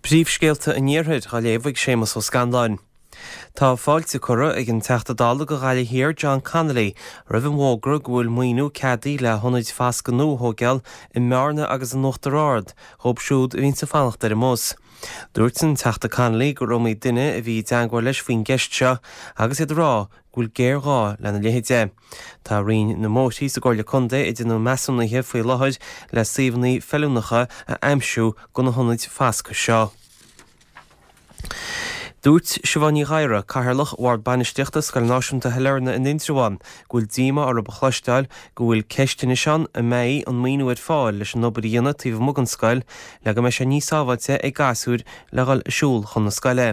Príomhscéalta an Iarthair á léamh ag Séamus Ó Scanláin. Tá fáilte curtha ag an Teachta Dála do Ghaillimh Thiar John Connolly roimh an bhfógra go bhfuil maoiniú ceadaithe le hionaid foscaidh nua a thóigeáil i mBearna agus in Uachtar Ard dhóibh siúd a bhíonns ag fanacht ar an mbus. Dúirt an Teachta Connolly gur iomaí duine a bhí i dteangmháil leis faoin gceist seo agus iad ag rá go bhfuil géarghá lena leithéide. Tá Roinn na mBóithrí sa gComhairle Contae ag déanamh measúnaithe faoi láthair le suíomhanna feiliúnacha a aimsiú do na hionaid foscaidh seo. Dúirt Siobhán Ní Ghadhra, Cathaoirleach Bhord Bainistíochta Scoil Náisiúnta Shailearna in Indreabhán, go bhfuil díomá orthu a chloisteáil go bhfuil ceist anois ann an mbeidh an maoiniú ar fáil leis an obair a dhéanamh taobh amuigh den scoil le go mbeidh sé níos sábháilte ag gasúir le dhul ag siúl chun na scoile.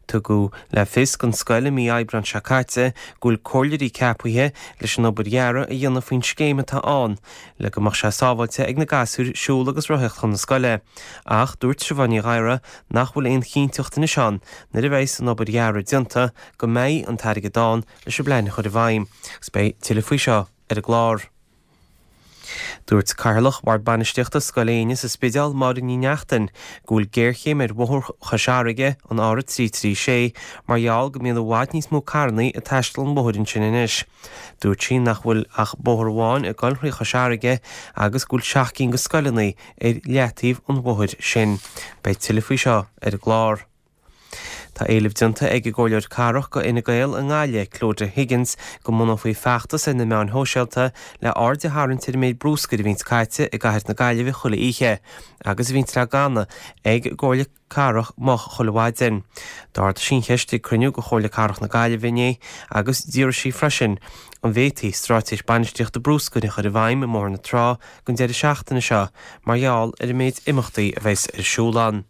Tugadh le fios don scoil i mí Aibreáin seo caite go bhfuil comhairleoirí ceapaithe leis an obair dhearaidh a dhéanamh faoin scéim atá ann le go mbeadh sé sábháilte ag na gasúir siúl agus rothaíocht chun na scoile. Ach dúirt Siobhán Ní Ghadhra nach bhfuil aon chinnteacht anois ann nuair a bheidhs an obair dhearaidh déanta go mbeidh an t-airgead ann leis an bplean a chur i bhfeidhm. Agus beidh tuilleadh faoi seo ar an gclár. Dúirt Cathaoirleach Bhord Bainistíochta Scoil Éinne sa Spidéal, Máire Ní Neachtain, go bhfuil géarchéim ar bhóthar Chois Fharraige, an R336, mar gheall go mbíonn i bhfad níos mó carrannaí ag taisteal an bhóthair ansin anois. Dúirt sí nach bhfuil ach bóthar amháin ag dul thrí Chois Fharraige agus go bhfuil seacht gcinn de scoileanna ar leataobh an bhóthair sin. Beidh tuilleadh faoi seo ar an gclár. Tá éileamh déanta ag an gComhairleoir Cathrach do Fhine Gael i nGaillimh, Clodagh Higgins, go mbunófaí feachtas ar na meáin shóisialta le aird a tharraingt ar an méid brúscair a bhíonns caite i gcathair na Gaillimhe chuile oíche agus a bhíonns le glanadh ag an gComhairle Cathrach moch chuile mhaidin. D'ardaigh sí an cheist ag cruinniú de Chomhairle Cathrach na Gaillimhe inné agus d'fhiafraigh sí freisin an bhféadfaí straitéis bainistíochta brúscair a chur i bhfeidhm i mBóthar na Trá don deireadh seachtaine seo mar gheall ar an méid imeachtaí a bheas ar siúl ann.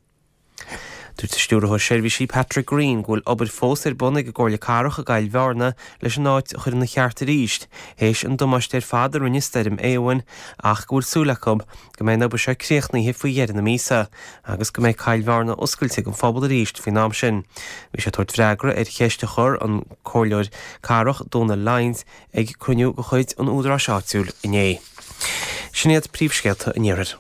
Dúirt an Stiúrthóir Seirbhísí Patrick Greene go bhfuil obair fós ar bun ag an gComhairle Cathrach i gCoill Bhearna leis an áit a chur ina cheart arís théis an damáiste ar fad a rinne Stoirm Éowyn ach go bhfuil súil acu go mbeidh an obair seo críochnaithe faoi dheireadh na míosa agus go mbeidh Coill Bhearna oscailte don phobal arís faoin am sin. Bhí sé ag tabhairt freagra ar cheist a chuir an Comhairleoir Cathrach Dónal Lyons ag cruinniú de chuid an Údaráis Áitiúil inné. Sin iad príomhscéalta an Iarthair.